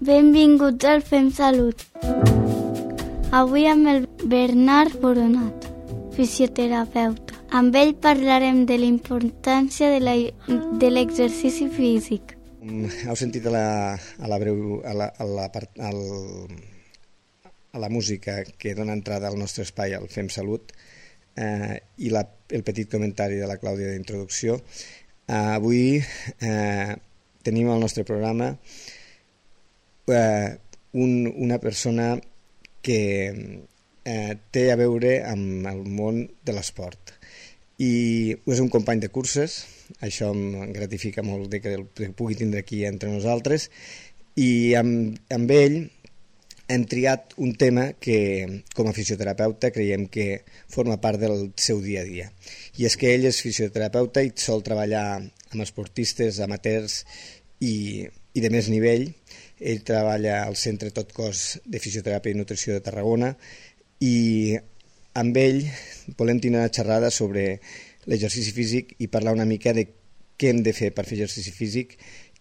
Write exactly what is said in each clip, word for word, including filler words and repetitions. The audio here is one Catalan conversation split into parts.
Benvinguts al Fem Salut. Avui amb el Bernat Boronat, fisioterapeuta. Amb ell parlarem de la importància de l'exercici físic. Heu sentit a la, a la, breu, a la, a la, part, al, a la música que dona entrada al nostre espai, al Fem Salut, eh, i la, el petit comentari de la Clàudia d'introducció. Eh, avui eh, tenim al nostre programa eh, un, una persona que eh, té a veure amb el món de l'esport. I és un company de curses, això em gratifica molt de que el pugui tindre aquí entre nosaltres, i amb, amb ell hem triat un tema que, com a fisioterapeuta, creiem que forma part del seu dia a dia. I és que ell és fisioterapeuta i sol treballar amb esportistes, amateurs i, i de més nivell. Ell treballa al Centre Tot Cos de Fisioteràpia i Nutrició de Tarragona i amb ell volem tenir una xerrada sobre l'exercici físic i parlar una mica de què hem de fer per fer exercici físic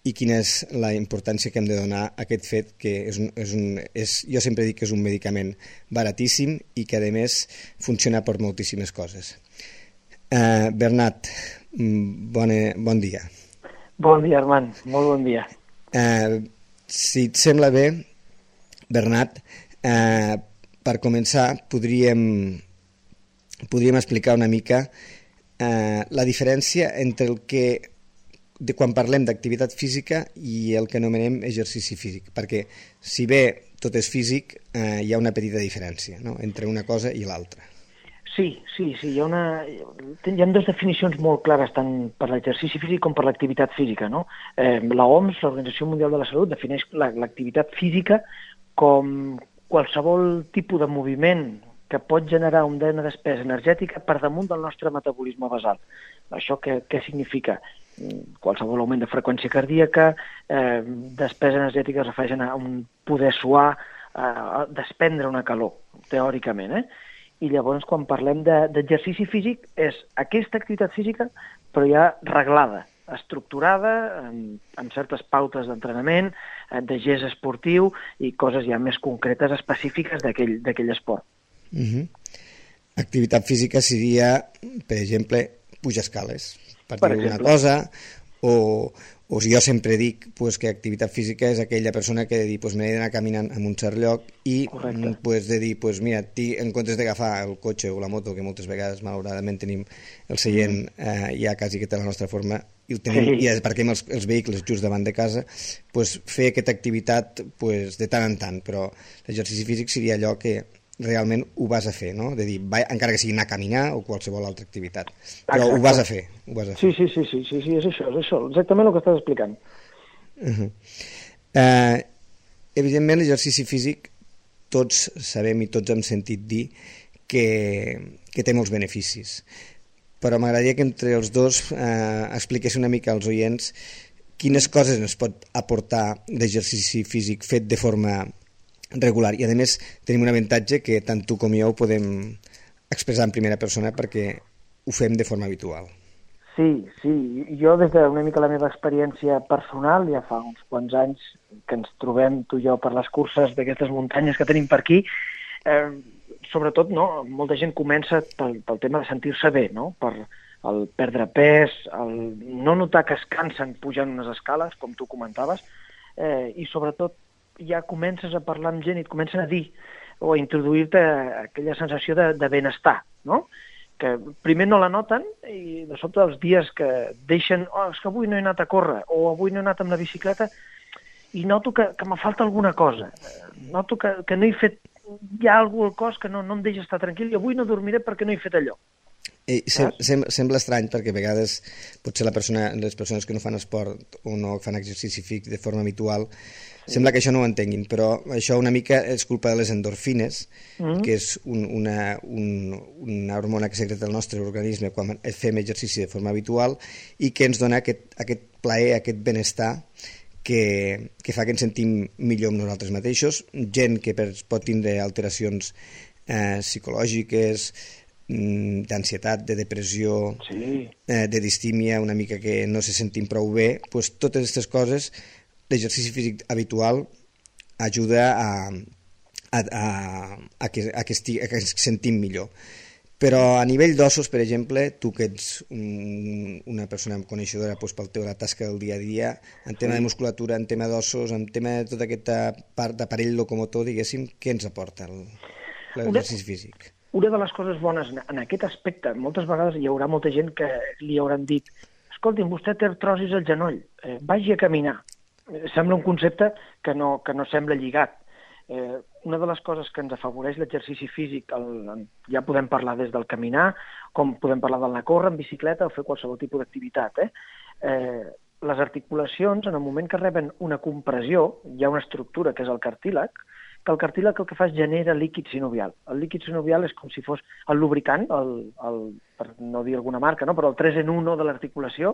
i quina és la importància que hem de donar a aquest fet que és un, és un, és, jo sempre dic que és un medicament baratíssim i que a més funciona per moltíssimes coses. Uh, Bernat, bona, bon dia. Bon dia, Armand, molt bon dia. Uh, si et sembla bé, Bernat, uh, per començar podríem, podríem explicar una mica eh, la diferència entre el que, de quan parlem d'activitat física i el que anomenem exercici físic, perquè si bé tot és físic, eh, hi ha una petita diferència, no?, entre una cosa i l'altra. Sí, sí, sí, hi ha, una, hi ha dues definicions molt clares tant per l'exercici físic com per l'activitat física, no? Eh, la O M S, l'Organització Mundial de la Salut, defineix l'activitat física com qualsevol tipus de moviment que pot generar una despesa energètica per damunt del nostre metabolisme basal. Això què, què significa? Qualsevol augment de freqüència cardíaca, eh, despesa energètica es refereixen a un poder suar, a desprendre una calor, teòricament. Eh? I llavors, quan parlem d'exercici de, físic, és aquesta activitat física, però ja reglada, estructurada, amb, amb certes pautes d'entrenament, de gest esportiu i coses ja més concretes, específiques d'aquell esport. Uh-huh. Activitat física seria, per exemple, pujar escales, per, per dir alguna cosa, o, o si jo sempre dic pues, que activitat física és aquella persona que diu pues, m'he d'anar caminant en un cert lloc i pues, de dir, pues, mira, en comptes d'agafar el cotxe o la moto, que moltes vegades malauradament tenim el seient eh, ja quasi que té la nostra forma, i, tenim, sí. i aparquem els, els vehicles just davant de casa, pues, fer aquesta activitat pues, de tant en tant, però l'exercici físic seria allò que realment ho vas a fer, no? De dir, va, encara que sigui anar a caminar o qualsevol altra activitat, però Exacte. ho vas a fer. Ho vas a fer. Sí, sí, sí, sí, sí, sí, és això, és això, exactament el que estàs explicant. Uh-huh. Uh, evidentment, l'exercici físic, tots sabem i tots hem sentit dir que, que té molts beneficis, però m'agradaria que entre els dos eh, expliqués una mica als oients quines coses ens pot aportar l'exercici físic fet de forma regular. I a més tenim un avantatge que tant tu com jo ho podem expressar en primera persona perquè ho fem de forma habitual. Sí, sí. Jo des d'una mica la meva experiència personal, ja fa uns quants anys que ens trobem tu i jo per les curses d'aquestes muntanyes que tenim per aquí, eh, sobretot, no, molta gent comença pel, pel tema de sentir-se bé, no? Per el perdre pes, el no notar que es cansen pujant unes escales, com tu comentaves, eh, i sobretot ja comences a parlar amb gent i et comencen a dir o a introduir-te aquella sensació de, de benestar, no? Que primer no la noten i de sobte els dies que deixen, oh, és que avui no he anat a córrer o avui no he anat amb la bicicleta i noto que, que me falta alguna cosa, noto que, que no he fet, hi ha alguna cosa al cos que no, no em deixa estar tranquil i avui no dormiré perquè no he fet allò. I sem sem sembla estrany perquè a vegades potser la persona, les persones que no fan esport o no fan exercici físic de forma habitual sí. sembla que això no ho entenguin, però això una mica és culpa de les endorfines, mm. que és un, una, un, una hormona que secreta el nostre organisme quan fem exercici de forma habitual i que ens dona aquest, aquest plaer, aquest benestar que, que fa que ens sentim millor amb nosaltres mateixos, gent que per, pot tindre alteracions eh, psicològiques, d'ansietat, de depressió, sí. eh, de distímia, una mica que no se sentim prou bé, pues, totes aquestes coses, l'exercici físic habitual ajuda a, a, a, a, que, a, que esti, a que ens sentim millor. Però a nivell d'ossos, per exemple, tu que ets un, una persona coneixedora doncs, pel teu la tasca del dia a dia, en tema de musculatura, en tema d'ossos, en tema de tota aquesta part d'aparell locomotor, diguéssim, què ens aporta l'exercici físic? Una de les coses bones en aquest aspecte, moltes vegades hi haurà molta gent que li hauran dit escolti'm, vostè té artrosis al genoll, eh, vagi a caminar. Sembla un concepte que no, que no sembla lligat. Eh, una de les coses que ens afavoreix l'exercici físic, el, ja podem parlar des del caminar, com podem parlar d'anar a córrer en bicicleta o fer qualsevol tipus d'activitat. Eh? Eh, les articulacions, en el moment que reben una compressió, hi ha una estructura que és el cartílag, que el cartílag el que fa és genera líquid sinovial. El líquid sinovial és com si fos el lubricant, el, el, per no dir alguna marca, no? Però el tres en un de l'articulació,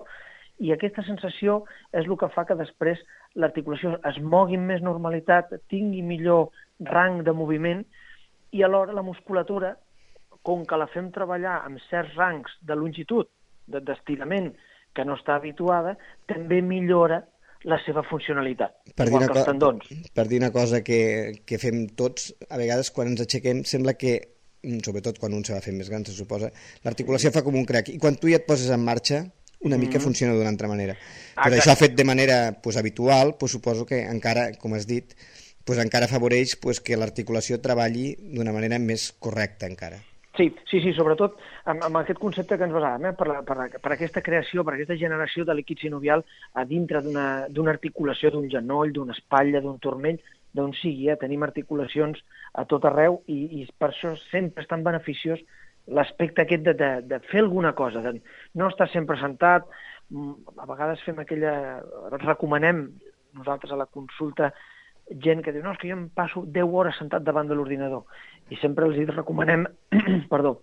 i aquesta sensació és el que fa que després l'articulació es mogui amb més normalitat, tingui millor rang de moviment, i alhora la musculatura, com que la fem treballar amb certs rangs de longitud, d'estirament, que no està habituada, també millora la seva funcionalitat, per igual que els tendons. Per dir una cosa que, que fem tots, a vegades quan ens aixequem sembla que, sobretot quan un se va fent més gran, se suposa, l'articulació fa com un crac, i quan tu ja et poses en marxa, una mica mm. funciona d'una altra manera. Però això fet de manera pues, habitual, pues, suposo que encara, com has dit, pues, encara afavoreix pues, que l'articulació treballi d'una manera més correcta encara. Sí, sí, sí, sobretot amb, amb aquest concepte que ens basàvem, eh? per, la, per, la, per aquesta creació, per aquesta generació de líquid sinovial a dintre d'una articulació d'un genoll, d'una espatlla, d'un turmell, d'on sigui, eh? Tenim articulacions a tot arreu i, i per això sempre és tan beneficiós l'aspecte aquest de, de, de fer alguna cosa, de no estar sempre sentat. A vegades fem aquella... recomanem nosaltres a la consulta gent que diu no, és que jo em passo deu hores sentat davant de l'ordinador, i sempre els recomanem perdó,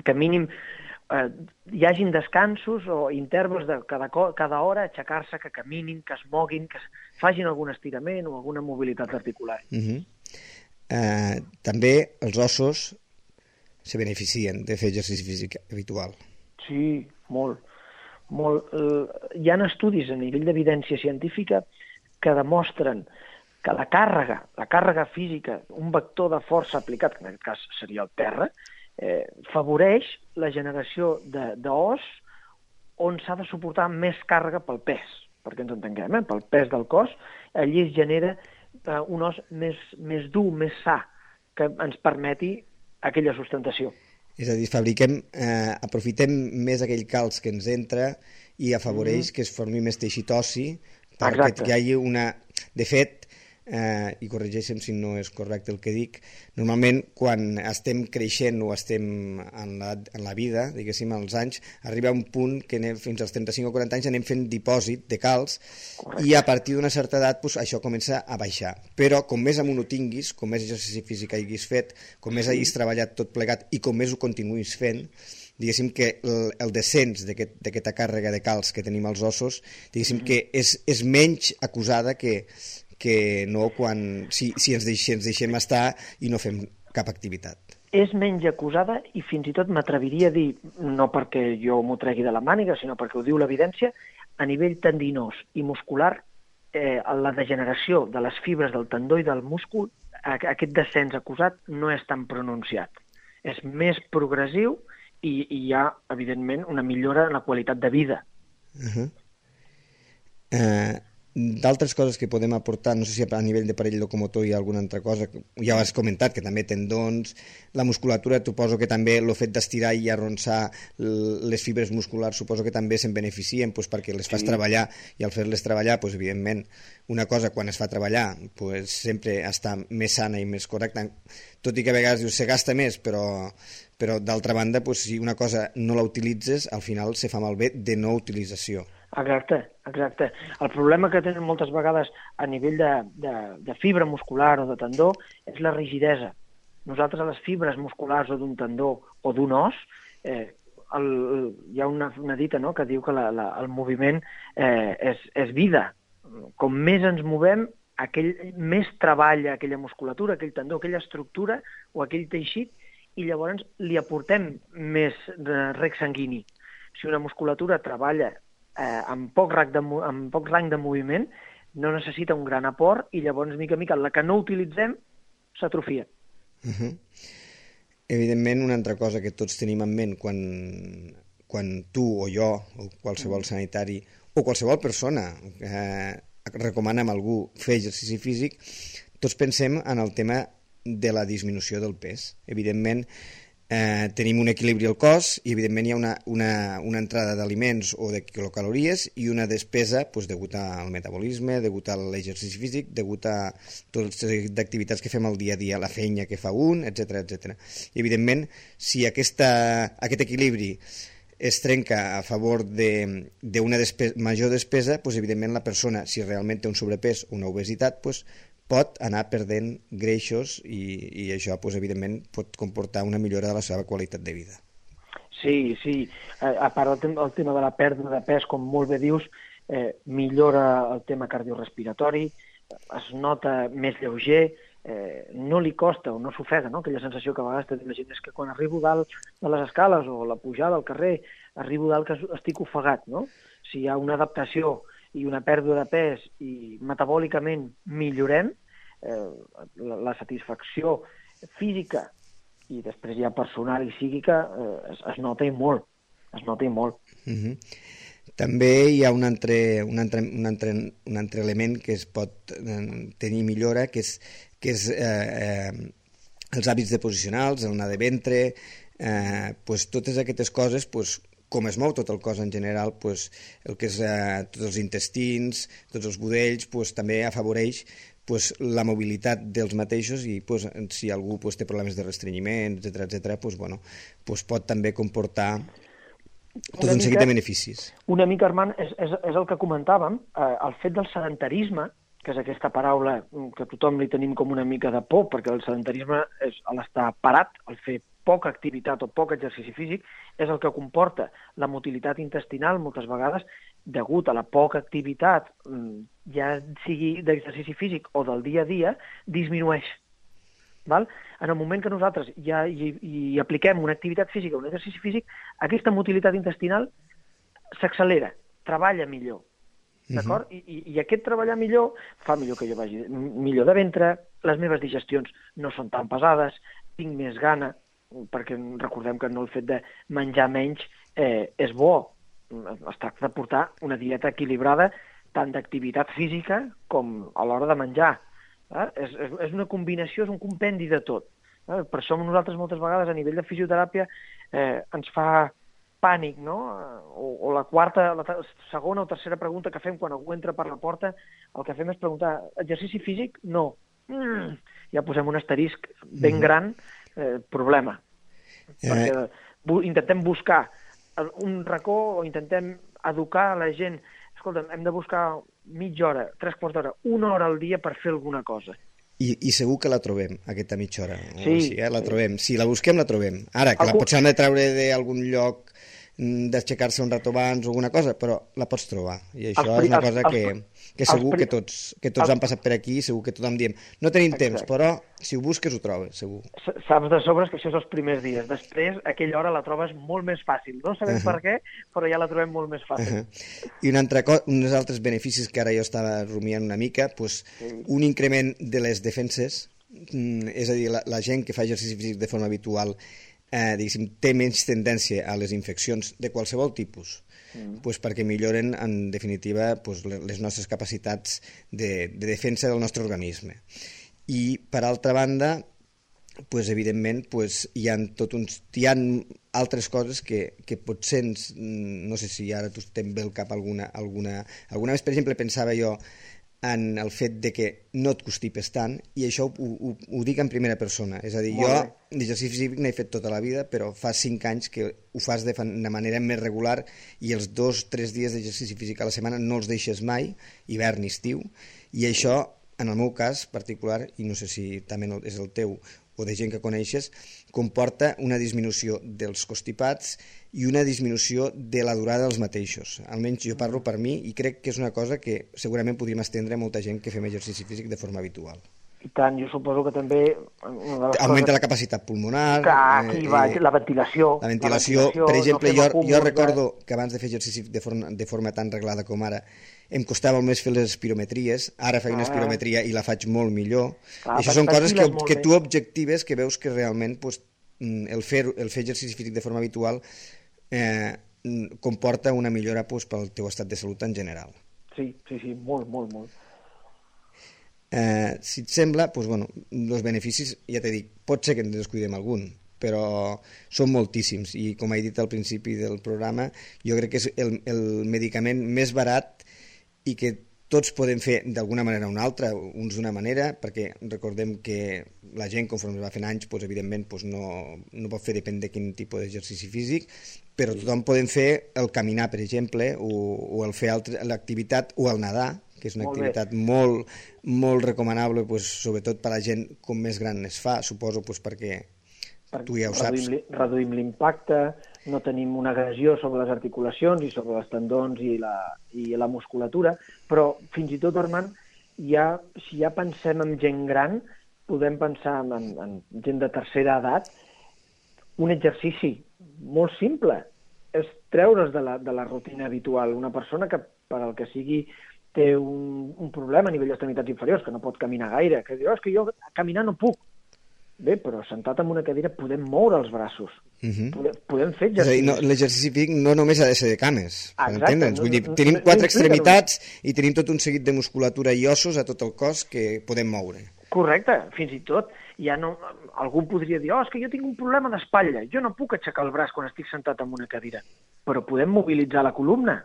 que mínim eh, hi hagin descansos o intervals de cada, cada hora, aixecar-se, que caminin, que es moguin, que facin algun estirament o alguna mobilitat articular. Uh-huh. eh, també els ossos se beneficien de fer exercici físic habitual. Sí, molt. molt. Hi ha estudis a nivell d'evidència científica que demostren que la càrrega, la càrrega física, un vector de força aplicat, que en aquest cas seria el terra, eh, favoreix la generació d'os on s'ha de suportar més càrrega pel pes, perquè ens entenguem, eh? Pel pes del cos, allí es genera eh, un os més, més dur, més sa, que ens permeti aquella sustentació. És a dir, fabriquem, eh, aprofitem més aquell calç que ens entra i afavoreix mm. que es formi més teixit ossi perquè hi hagi una... De fet, eh, i corregeixem si no és correcte el que dic, normalment quan estem creixent o estem en la, en la vida, diguéssim, als anys, arriba un punt que anem, fins als trenta-cinc o quaranta anys anem fent dipòsit de calç. Correcte. I a partir d'una certa edat pues, això comença a baixar. Però com més amunt ho tinguis, com més exercici físic hagis fet, com més hagis treballat tot plegat i com més ho continuïs fent, diguéssim que el, el descens d'aquesta aquest, càrrega de calç que tenim als ossos, diguéssim mm-hmm. que és, és menys acusada que, que no quan, si, si, ens deix, si ens deixem estar i no fem cap activitat. És menys acusada i fins i tot m'atreviria a dir, no perquè jo m'ho tregui de la màniga, sinó perquè ho diu l'evidència, a nivell tendinós i muscular, eh, la degeneració de les fibres del tendó i del múscul, aquest descens acusat no és tan pronunciat. És més progressiu i, i hi ha, evidentment, una millora en la qualitat de vida. Uh-huh. Eh... D'altres coses que podem aportar, no sé si a nivell d'aparell locomotor hi ha alguna altra cosa, ja ho has comentat, que també tendons, la musculatura, suposo que també el fet d'estirar i arronsar les fibres musculars, suposo que també se'n beneficien pues, perquè les fas sí. treballar, i al fer-les treballar, pues, evidentment, una cosa quan es fa treballar pues, sempre està més sana i més correcta, tot i que a vegades dius, se gasta més, però, però d'altra banda, pues, si una cosa no la utilitzes, al final se fa malbé de no utilització. Exacte, exacte. El problema que tenen moltes vegades a nivell de, de, de fibra muscular o de tendó és la rigidesa. Nosaltres a les fibres musculars o d'un tendó o d'un os, eh, el, hi ha una, una dita no?, que diu que la, la, el moviment eh, és, és vida. Com més ens movem, aquell, més treballa aquella musculatura, aquell tendó, aquella estructura o aquell teixit, i llavors li aportem més rec sanguini. Si una musculatura treballa Eh, amb, poc rang de, amb poc rang de moviment, no necessita un gran aport i llavors, mica en mica, la que no utilitzem s'atrofia. Uh-huh. Evidentment, una altra cosa que tots tenim en ment quan, quan tu o jo o qualsevol sanitari o qualsevol persona eh, recomana a algú fer exercici físic, tots pensem en el tema de la disminució del pes. Evidentment, eh, tenim un equilibri al cos i evidentment hi ha una, una, una entrada d'aliments o de quilocalories i una despesa pues, degut al metabolisme, degut a l'exercici físic, degut a totes les activitats que fem al dia a dia, la feina que fa un, etcètera etcètera. I evidentment, si aquesta, aquest equilibri es trenca a favor d'una despe major despesa, pues, evidentment la persona, si realment té un sobrepès o una obesitat, pues, pot anar perdent greixos i, i això, pues, evidentment, pot comportar una millora de la seva qualitat de vida. Sí, sí. A part del tema, el tema de la pèrdua de pes, com molt bé dius, eh, millora el tema cardiorespiratori, es nota més lleuger, eh, no li costa o no s'ofega, no? Aquella sensació que a vegades té la gent és que quan arribo dalt de les escales o la pujada al carrer, arribo dalt que estic ofegat, no? Si hi ha una adaptació i una pèrdua de pes i metabòlicament millorem, eh, la, la satisfacció física i després ja personal i psíquica eh, es, es nota i molt, es nota i molt. Uh-huh. També hi ha un altre, un, altre, un, altre, un altre element que es pot tenir millora, que és, que és eh, eh, els hàbits deposicionals, el anar de ventre, eh, pues, totes aquestes coses, pues, com es mou tot el cos en general, pues, el que és eh, tots els intestins, tots els budells, pues, també afavoreix pues, la mobilitat dels mateixos i pues, si algú pues, té problemes de restrenyiment, etcètera etcètera, pues, bueno, pues, pot també comportar tot una un mica, seguit de beneficis. Una mica, Armand, és, és, és el que comentàvem, eh, el fet del sedentarisme, que és aquesta paraula que tothom li tenim com una mica de por, perquè el sedentarisme és l'estar parat, el fer poca activitat o poc exercici físic, és el que comporta la motilitat intestinal moltes vegades degut a la poca activitat, ja sigui d'exercici físic o del dia a dia, disminueix. Val? En el moment que nosaltres ja hi, hi apliquem una activitat física o un exercici físic, aquesta motilitat intestinal s'accelera, treballa millor. D'acord? Uh-huh. I, I aquest treballar millor fa millor que jo vagi millor de ventre, les meves digestions no són tan pesades, tinc més gana, perquè recordem que no el fet de menjar menys eh, és bo. Es tracta de portar una dieta equilibrada tant d'activitat física com a l'hora de menjar. Eh? És, és, és una combinació, és un compendi de tot. Eh? Per això nosaltres moltes vegades a nivell de fisioteràpia eh, ens fa pànic, no? O, o la quarta, la segona o tercera pregunta que fem quan algú entra per la porta, el que fem és preguntar, exercici físic? No. Mm, ja posem un asterisc ben gran, eh, problema. Eh. Perquè bu intentem buscar un racó o intentem educar a la gent. Escolta'm, hem de buscar mitja hora, tres quarts d'hora, una hora al dia per fer alguna cosa. I, i segur que la trobem, aquesta mitja hora. Sí. Així, eh? La trobem. Si la busquem, la trobem. Ara, que la potser hem de treure d'algun lloc, d'aixecar-se un rato abans o alguna cosa, però la pots trobar. I això els, és una cosa els, que, que segur els, que tots, que tots els, han passat per aquí, segur que tothom diem, no tenim exacte. temps, però si ho busques ho trobes, segur. Saps de sobres que això és els primers dies. Després, aquella hora la trobes molt més fàcil. No sabem uh -huh. per què, però ja la trobem molt més fàcil. Uh -huh. I un altre uns altres beneficis que ara jo estava rumiant una mica, pues, sí. un increment de les defenses, és a dir, la, la gent que fa exercici físic de forma habitual Eh, diguéssim, té menys tendència a les infeccions de qualsevol tipus, mm. pues perquè milloren, en definitiva, pues, les nostres capacitats de, de defensa del nostre organisme. I, per altra banda, pues, evidentment, pues, hi ha tot uns, hi ha altres coses que, que potser, ens, no sé si ara tu te'n ve al cap alguna, alguna, alguna vegada, per exemple, pensava jo en el fet de que no et constipes tant, i això ho, ho, ho dic en primera persona. És a dir, jo d'exercici físic n'he fet tota la vida, però fa cinc anys que ho fas de, de manera més regular i els dos o tres dies d'exercici físic a la setmana no els deixes mai, hivern i estiu, i això, en el meu cas particular, i no sé si també és el teu o de gent que coneixes, comporta una disminució dels constipats i una disminució de la durada dels mateixos. Almenys jo parlo per mi i crec que és una cosa que segurament podríem estendre a molta gent que fem exercici físic de forma habitual. I tant, jo suposo que també... Una de les augmenta coses... la capacitat pulmonar... Que aquí eh, va, eh, la ventilació... La ventilació, la ventilació per exemple, no jo, jo recordo de... que abans de fer exercici de forma, de forma tan reglada com ara, em costava més fer les espirometries, ara faig una espirometria i la faig molt millor. Clar, Això són coses que, que bé. tu objectives, que veus que realment pues, el, fer, el fer exercici físic de forma habitual eh, comporta una millora pues, pel teu estat de salut en general. Sí, sí, sí, molt, molt, molt. Eh, si et sembla, doncs, bueno, els beneficis, ja t'he dit, pot ser que ens descuidem algun, però són moltíssims i com he dit al principi del programa, jo crec que és el, el medicament més barat i que tots podem fer d'alguna manera o una altra, uns d'una manera, perquè recordem que la gent conforme va fent anys, doncs, evidentment doncs, no, no pot fer depèn de quin tipus d'exercici físic, però tothom podem fer el caminar, per exemple, o, o el fer l'activitat o el nedar, que és una molt activitat bé. molt, molt recomanable, pues, sobretot per a la gent com més gran es fa, suposo pues, perquè per, tu ja ho reduïm, saps. Reduïm l'impacte, no tenim una agressió sobre les articulacions i sobre els tendons i la, i la musculatura, però fins i tot, Armand, ja, si ja pensem en gent gran, podem pensar en, en gent de tercera edat, un exercici molt simple és treure's de la, de la rutina habitual. Una persona que, per al que sigui, té un, un problema a nivell d'extremitats inferiors, que no pot caminar gaire, que diu, oh, és que jo caminar no puc. Bé, però sentat en una cadira podem moure els braços, uh-huh. podem, podem fer exercici. No, l'exercici físic no només ha de ser de cames, per entendre'ns. No, Vull dir, no, tenim no, quatre no, extremitats i tenim tot un seguit de musculatura i ossos a tot el cos que podem moure. Correcte, fins i tot. Ja no, algú podria dir, oh, és que jo tinc un problema d'espatlla, jo no puc aixecar el braç quan estic sentat en una cadira, però podem mobilitzar la columna.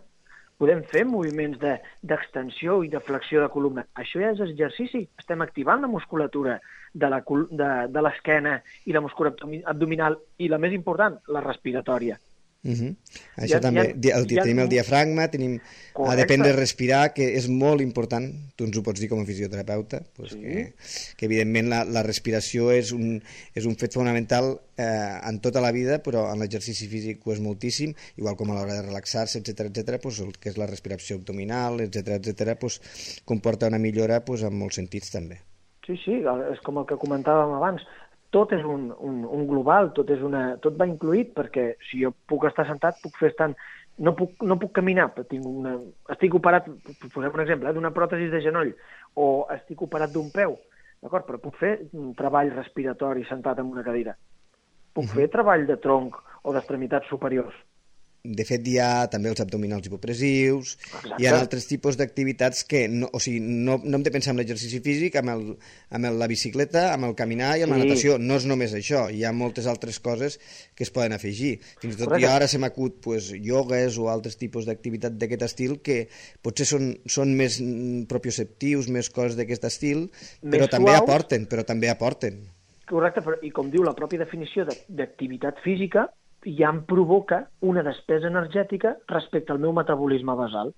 Podem fer moviments d'extensió de, i de flexió de columna. Això ja és exercici. Estem activant la musculatura de l'esquena i la musculatura abdominal i, la més important, la respiratòria. Uh-huh. Això ja, també, ja, el, ja, tenim el diafragma, tenim a dependre de respirar, que és molt important, tu ens ho pots dir com a fisioterapeuta, pues sí. que, que evidentment la, la respiració és un, és un fet fonamental eh, en tota la vida, però en l'exercici físic ho és moltíssim, igual com a l'hora de relaxar-se, etcètera, etcètera, pues, el que és la respiració abdominal, etcètera, etcètera, pues, comporta una millora pues, en molts sentits també. Sí, sí, és com el que comentàvem abans. Tot és un, un, un global, tot, és una, tot va incluït, perquè si jo puc estar sentat, puc fer estant... No puc, no puc caminar, però tinc una, estic operat, posem un exemple, eh, d'una pròtesi de genoll, o estic operat d'un peu, d'acord? Però puc fer un treball respiratori sentat en una cadira. Puc uh-huh. fer treball de tronc o d'extremitats superiors. De fet, hi ha també els abdominals hipopressius, Exacte. Hi ha altres tipus d'activitats que, no, o sigui, no, no hem de pensar en l'exercici físic, amb, el, amb el, la bicicleta, amb el caminar i amb sí. la natació. No és només això, hi ha moltes altres coses que es poden afegir. Fins i tot Correcte. Jo ara se m'acut pues, iogues o altres tipus d'activitat d'aquest estil que potser són, són més propioceptius, més coses d'aquest estil, més però també suaus. aporten, però també aporten. Correcte, però, i com diu la pròpia definició d'activitat física, ja em provoca una despesa energètica respecte al meu metabolisme basal.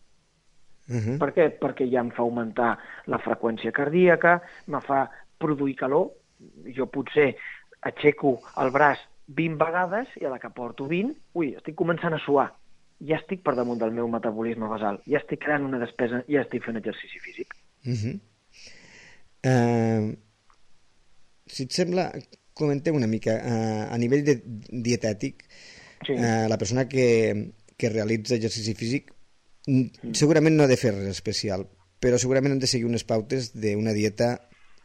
Uh-huh. Per què? Perquè ja em fa augmentar la freqüència cardíaca, me fa produir calor, jo potser aixeco el braç vint vegades i a la que porto vint, ui, estic començant a suar. Ja estic per damunt del meu metabolisme basal, ja estic creant una despesa, ja estic fent exercici físic. Uh-huh. uh, si et sembla... Comentem una mica, eh, a nivell de dietètic, sí. eh, la persona que, que realitza exercici físic mm. segurament no ha de fer res especial, però segurament han de seguir unes pautes d'una dieta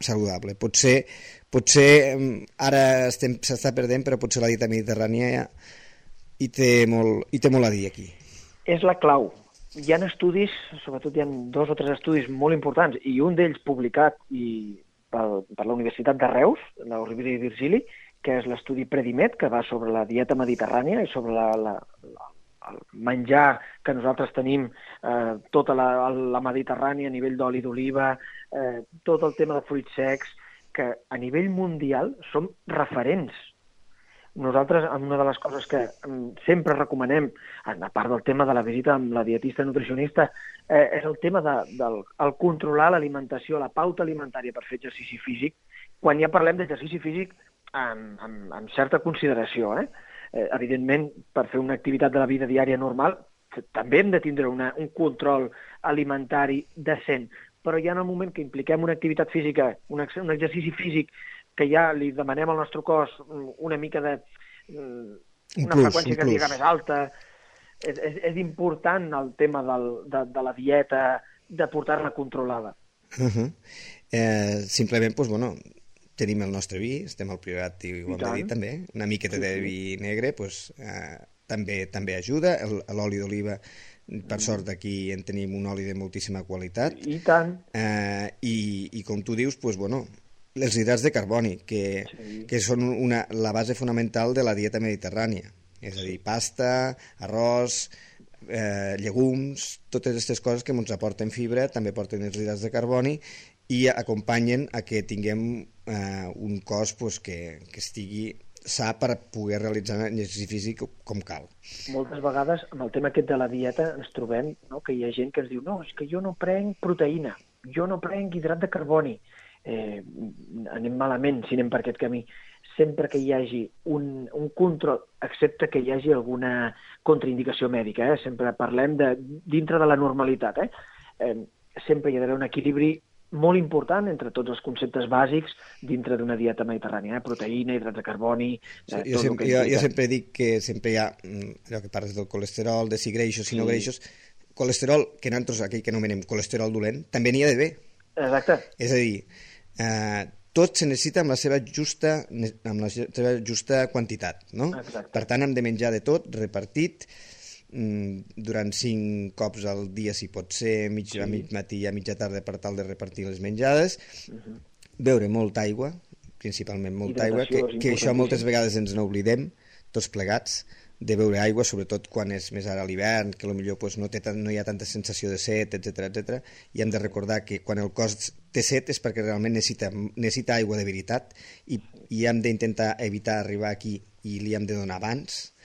saludable. Potser, potser ara s'està perdent, però potser la dieta mediterrània hi té, molt, hi té molt a dir aquí. És la clau. Hi ha estudis, sobretot hi ha dos o tres estudis molt importants, i un d'ells publicat i Per, per la Universitat de Reus, la Rovira i Virgili, que és l'estudi Predimet, que va sobre la dieta mediterrània i sobre la, la, la, el menjar que nosaltres tenim, eh, tota la, la Mediterrània a nivell d'oli d'oliva, eh, tot el tema de fruits secs, que a nivell mundial som referents. Nosaltres, una de les coses que sempre recomanem, a part del tema de la visita amb la dietista nutricionista, eh, és el tema de, del el controlar l'alimentació, la pauta alimentària per fer exercici físic, quan ja parlem d'exercici físic amb, amb, amb certa consideració. Eh? Eh, evidentment, per fer una activitat de la vida diària normal, també hem de tindre una, un control alimentari decent, però ja en el moment que impliquem una activitat física, un, ex un exercici físic, que ja li demanem al nostre cos una mica de... una plus, freqüència cardíaca més alta, és, és, és important el tema del, de, de la dieta, de portar-la controlada. Uh -huh. eh, simplement, doncs, bueno, tenim el nostre vi, estem al Priorat i ho hem de dir també, una miqueta sí, de vi negre doncs, eh, també també ajuda, l'oli d'oliva, per sort aquí en tenim un oli de moltíssima qualitat. I tant. Eh, i, I com tu dius, doncs, bueno, els hidrats de carboni, que, sí. que són una, la base fonamental de la dieta mediterrània, és a dir, pasta, arròs, eh, llegums, totes aquestes coses que ens aporten fibra, també porten els hidrats de carboni i acompanyen a que tinguem eh, un cos pues, que, que estigui sa per poder realitzar un exercici físic com cal. Moltes vegades, amb el tema aquest de la dieta, ens trobem, no?, que hi ha gent que ens diu no, és que jo no prenc proteïna, jo no prenc hidrat de carboni. Eh, anem malament si anem per aquest camí. Sempre que hi hagi un, un control, excepte que hi hagi alguna contraindicació mèdica, eh? Sempre parlem de dintre de la normalitat, eh? Eh, sempre hi ha d'haver un equilibri molt important entre tots els conceptes bàsics dintre d'una dieta mediterrània, eh? Proteïna, hidrats de carboni... Eh, sí, jo, sempre, jo, jo sempre dic que sempre hi ha, allò que parles del colesterol, de si greixos, si sí. no greixos, colesterol, que nosaltres aquell que anomenem colesterol dolent, també n'hi ha d'haver. Exacte. És a dir, eh, tot se necessita amb la seva justa, amb la seva justa quantitat, no? Exacte. Per tant, hem de menjar de tot, repartit, durant cinc cops al dia, si pot ser, mig, sí. a mig matí i a mitja tarda, per tal de repartir les menjades, uh-huh. beure molta aigua, principalment molta aigua, que, que això moltes vegades ens n'oblidem, tots plegats, de beure aigua, sobretot quan és més ara a l'hivern, que potser pues, no, té tant, no hi ha tanta sensació de set, etcètera etcètera, i hem de recordar que quan el cos té set és perquè realment necessita, necessita aigua de veritat, i, i hem d'intentar evitar arribar aquí i li hem de donar abans,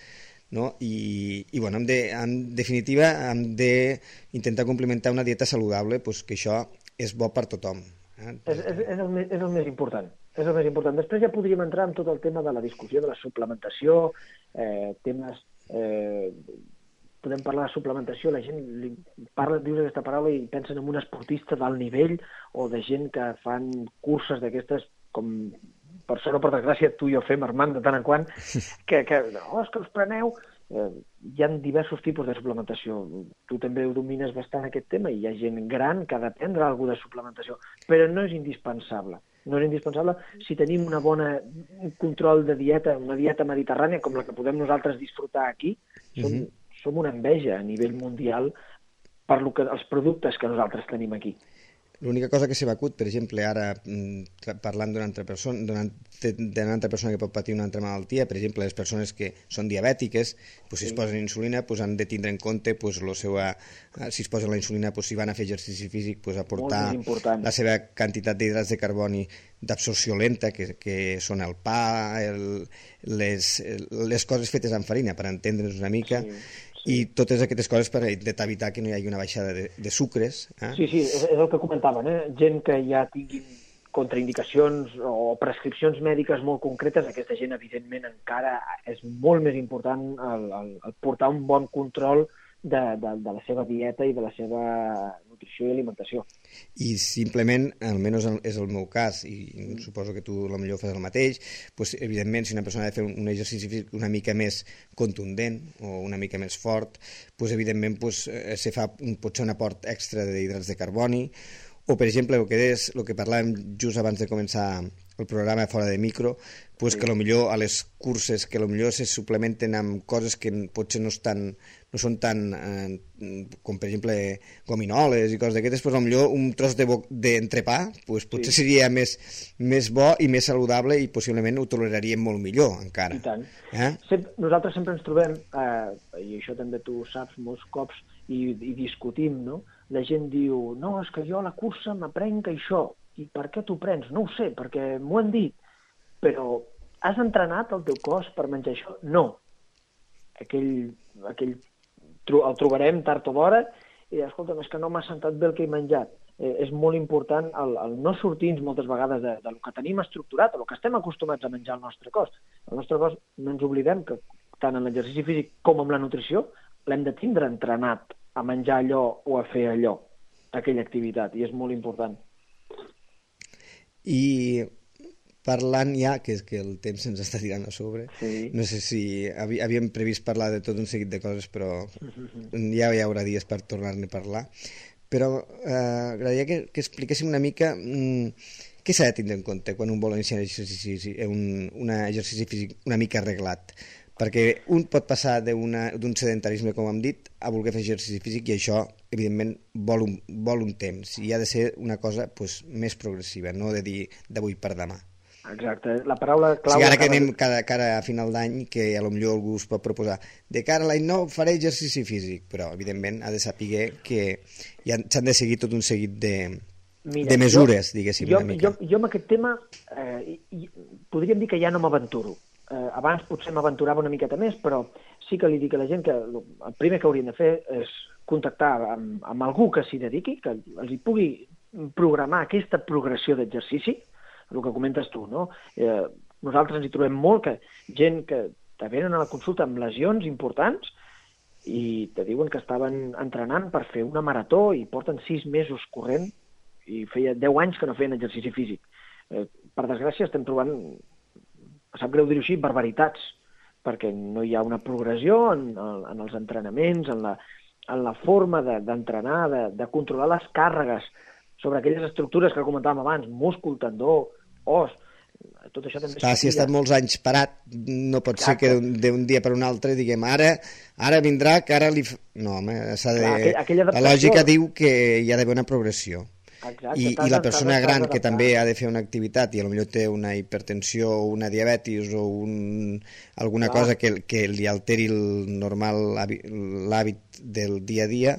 no? I, i bueno, hem de, en definitiva hem d'intentar complementar una dieta saludable, pues, que això és bo per tothom. Eh? És, és, és, el més, és el més important. És el més important. Després ja podríem entrar en tot el tema de la discussió de la suplementació, eh, temes... Eh, podem parlar de suplementació, la gent li parla, dius aquesta paraula i pensen en un esportista d'alt nivell o de gent que fan curses d'aquestes com... per sort o per desgràcia, tu i jo fem, Armand, de tant en quant, que, que oh, és que us preneu... Eh, hi ha diversos tipus de suplementació. Tu també ho domines bastant, aquest tema, i hi ha gent gran que ha de prendre alguna de suplementació, però no és indispensable. No és indispensable si tenim una bona control de dieta, una dieta mediterrània com la que podem nosaltres disfrutar aquí. Som, uh-huh. som una enveja a nivell mundial per lo que, els productes que nosaltres tenim aquí. L'única cosa que s'ha acut, per exemple, ara parlant d'una altra persona, d'una altra persona que pot patir una altra malaltia, per exemple, les persones que són diabètiques, pues, si sí. es posen insulina, pues, han de tindre en compte pues, la seva, si es posen la insulina, pues, si van a fer exercici físic, pues, aportar la seva quantitat d'hidrats de carboni d'absorció lenta, que, que són el pa, el, les, les coses fetes amb farina, per entendre's una mica, sí. i totes aquestes coses per evitar que no hi hagi una baixada de, de sucres. Eh? Sí, sí, és, és el que comentaven, eh? Gent que ja tinguin contraindicacions o prescripcions mèdiques molt concretes, aquesta gent, evidentment, encara és molt més important el, el, el portar un bon control de, de, de la seva dieta i de la seva nutrició i alimentació. I simplement, almenys és el meu cas, i mm. suposo que tu potser fas el mateix, pues, evidentment, si una persona ha de fer un exercici físic una mica més contundent o una mica més fort, pues, evidentment pues, se fa un, potser un aport extra d'hidrats de carboni, o, per exemple, el que, és, el que parlàvem just abans de començar el programa fora de micro, pues sí. que potser a les curses que potser se suplementen amb coses que potser no, estan, no són tan, eh, com per exemple gominoles i coses d'aquestes, pues potser un tros d'entrepà de pues, potser sí. seria més, més bo i més saludable i possiblement ho toleraríem molt millor encara. I tant. Eh? Sempre, nosaltres sempre ens trobem, eh, i això també tu saps molts cops, i, i discutim, no? La gent diu, no, és que jo a la cursa m'aprenc això. I per què t'ho prens? No ho sé, perquè m'ho han dit. Però has entrenat el teu cos per menjar això? No. Aquell, aquell el trobarem tard o d'hora i, escolta'm, és que no m'ha sentat bé el que he menjat. Eh, és molt important el, el no sortir-nos moltes vegades de, del que tenim estructurat, o el que estem acostumats a menjar al nostre cos. El nostre cos, no ens oblidem que tant en l'exercici físic com en la nutrició l'hem de tindre entrenat a menjar allò o a fer allò. aquella activitat, i és molt important. I parlant ja, que és que el temps se'ns està tirant a sobre, sí. No sé si havíem previst parlar de tot un seguit de coses, però ja hi haurà dies per tornar-ne a parlar. Però eh, agradaria que, que expliquéssim una mica mm, què s'ha de tindre en compte quan un vol iniciar un exercici, un, un exercici físic una mica arreglat. Perquè un pot passar d'un sedentarisme, com hem dit, a voler fer exercici físic, i això, evidentment, vol un, vol un temps, i ha de ser una cosa pues, més progressiva, no de dir d'avui per demà. Exacte, la paraula clau... O sigui, ara que anem cada, cada a final d'any, que a lo millor algú us pot proposar de cara a l'any nou faré exercici físic, però evidentment ha de saber que s'han de seguir tot un seguit de, Mira, de mesures, jo, diguéssim, jo, una mica. Jo, jo amb aquest tema eh, i, podríem dir que ja no m'aventuro. Eh, abans potser m'aventurava una miqueta més, però sí que li dic a la gent que el primer que haurien de fer és contactar amb, amb algú que s'hi dediqui, que els hi pugui programar aquesta progressió d'exercici, el que comentes tu, no? Eh, nosaltres ens hi trobem molt que gent que te venen a la consulta amb lesions importants i te diuen que estaven entrenant per fer una marató i porten sis mesos corrent i feia deu anys que no feien exercici físic. Eh, per desgràcia estem trobant, em sap greu dir-ho així, barbaritats, perquè no hi ha una progressió en, en els entrenaments, en la, en la forma d'entrenar, de, de, de controlar les càrregues sobre aquelles estructures que comentàvem abans, múscul, tendó, os, tot això també... Clar, si ha estat molts anys parat, no pot Exacte. ser que d'un dia per un altre diguem ara ara vindrà, que ara li... No, home, s'ha de... Clar, aquella la lògica diu que hi ha d'haver una progressió. Exacte, I, i la persona gran que també ha de fer una activitat i potser té una hipertensió o una diabetis o un, alguna Clar. cosa que, que li alteri el normal l'hàbit del dia a dia,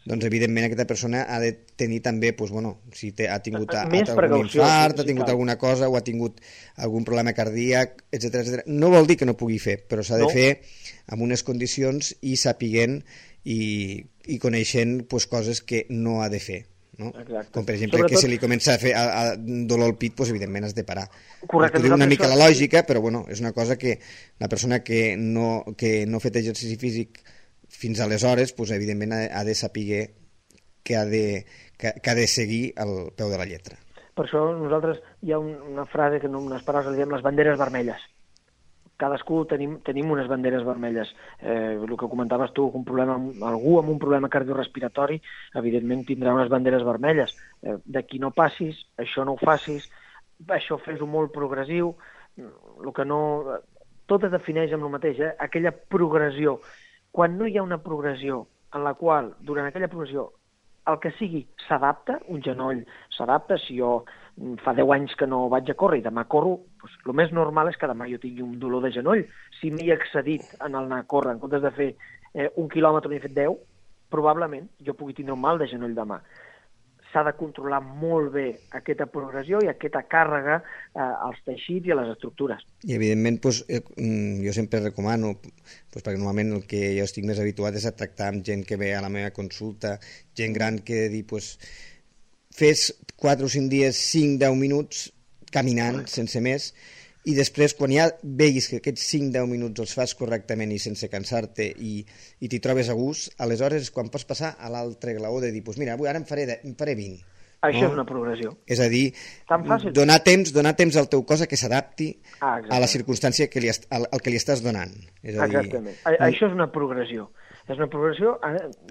doncs evidentment aquesta persona ha de tenir també, doncs, bueno, si té, ha tingut a, algun infart, ha tingut alguna cosa o ha tingut algun problema cardíac, etcètera etcètera. No vol dir que no pugui fer, però s'ha de no. fer amb unes condicions i sapiguent i, i coneixent pues, coses que no ha de fer. No? Com per exemple Sobretot... que si li comença a fer a, a dolor al pit, doncs, evidentment has de parar. Correcte, diu una mica la lògica, però bueno, és una cosa que la persona que no, que no ha fet exercici físic fins aleshores, doncs, evidentment ha, ha de saber que ha de, que, que ha de seguir al peu de la lletra. Per això nosaltres hi ha un, una frase que en unes paraules li diem les banderes vermelles. Cadascú tenim, tenim unes banderes vermelles. Eh, el que comentaves tu, un problema, algú amb un problema cardiorrespiratori, evidentment tindrà unes banderes vermelles. Eh, D'aquí no passis, això no ho facis, això fes-ho molt progressiu, el que no... Tot es defineix amb el mateix, eh? Aquella progressió. Quan no hi ha una progressió en la qual, durant aquella progressió, el que sigui s'adapta, un genoll s'adapta, si jo fa deu anys que no vaig a córrer i demà corro, doncs el més normal és que demà jo tingui un dolor de genoll. Si m'he excedit en el anar a córrer, en comptes de fer eh, un quilòmetre n'he fet deu, probablement jo pugui tindre un mal de genoll demà. S'ha de controlar molt bé aquesta progressió i aquesta càrrega eh, als teixits i a les estructures. I evidentment, doncs, jo sempre recomano, doncs, perquè normalment el que jo estic més habituat és a tractar amb gent que ve a la meva consulta, gent gran que dir, doncs, fes quatre o cinc dies, cinc a deu minuts caminant, sense més, i després, quan ja veguis que aquests cinc a deu minuts els fas correctament i sense cansar-te i, i t'hi trobes a gust, aleshores és quan pots passar a l'altre glaó de dir, doncs mira, avui ara em faré, de, em faré vint. Això no? És una progressió. És a dir, donar temps, donar temps al teu cos a que s'adapti ah, a la circumstància que li, al, al que li estàs donant. És a dir, exactament. A, això és una progressió. És una progressió,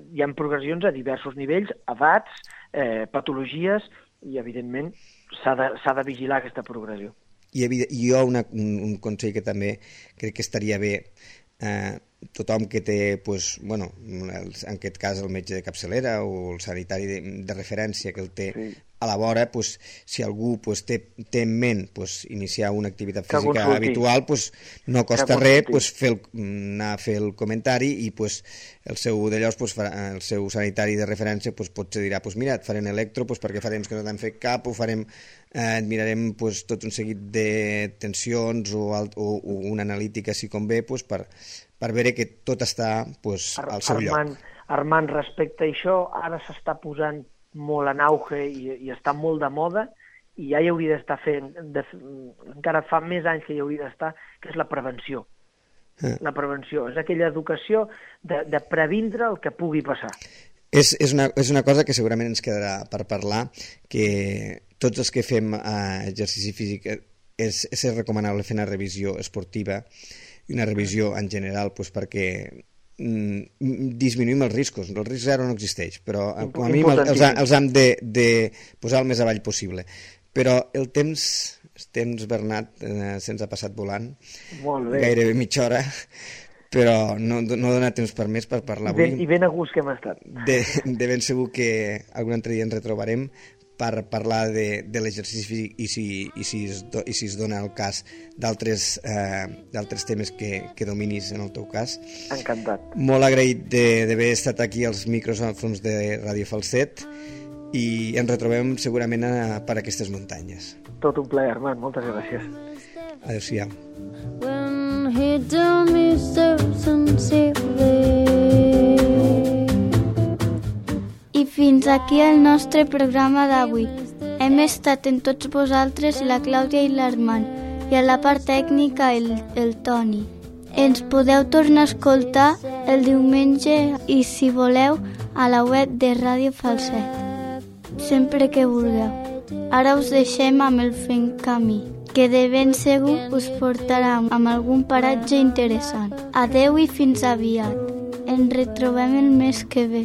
hi ha progressions a diversos nivells, edats, eh, patologies, i evidentment s'ha de, s'ha de vigilar aquesta progressió. I, i jo una, un, un consell que també crec que estaria bé, eh, tothom que té, pues, bueno, el, en aquest cas el metge de capçalera o el sanitari de, de referència que el té sí. a la vora, pues, si algú pues, té, té en ment pues, iniciar una activitat física habitual, pues, no costa res pues, fer el, anar a fer el comentari i pues, el seu d'allòs, pues, el seu sanitari de referència pues, potser dirà, pues, mira, et farem electro pues, perquè farem que no t'han fet cap, o farem, eh, et mirarem pues, tot un seguit de tensions o, alt, o, o una analítica si convé pues, per, per veure que tot està pues, al seu Armand, lloc. Armand, respecte a això, ara s'està posant molt en auge i, i està molt de moda i ja hi hauria d'estar fent, de, encara fa més anys que hi hauria d'estar, que és la prevenció. Eh. La prevenció és aquella educació de, de previndre el que pugui passar. És, és, una, és una cosa que segurament ens quedarà per parlar, que tots els que fem eh, exercici físic és, és recomanable fer una revisió esportiva i una revisió en general pues, perquè mm, disminuïm els riscos. El risc zero no existeix, però com a mínim els, els hem de, de posar el més avall possible. Però el temps, el temps Bernat, eh, se'ns ha passat volant, gairebé mitja hora, però no, no dona temps per més per parlar avui. Ben, I ben a gust que hem estat. De, de ben segur que algun altre dia ens retrobarem per parlar de, de l'exercici físic i si, i, si es do, i si es dona el cas d'altres eh, d'altres temes que, que dominis en el teu cas. Encantat. Molt agraït d'haver estat aquí als micròfons de Ràdio Falset i ens retrobem segurament a, per aquestes muntanyes. Tot un plaer, Armand. Moltes gràcies. Adéu-siau. When he told me so sincerely. I fins aquí el nostre programa d'avui. Hem estat en tots vosaltres la Clàudia i l'Armand i a la part tècnica el, el Toni. Ens podeu tornar a escoltar el diumenge i si voleu a la web de Ràdio Falset, sempre que vulgueu. Ara us deixem amb el Fent Camí, que de ben segur us portarà amb algun paratge interessant. Adeu i fins aviat. Ens retrobem el mes que ve.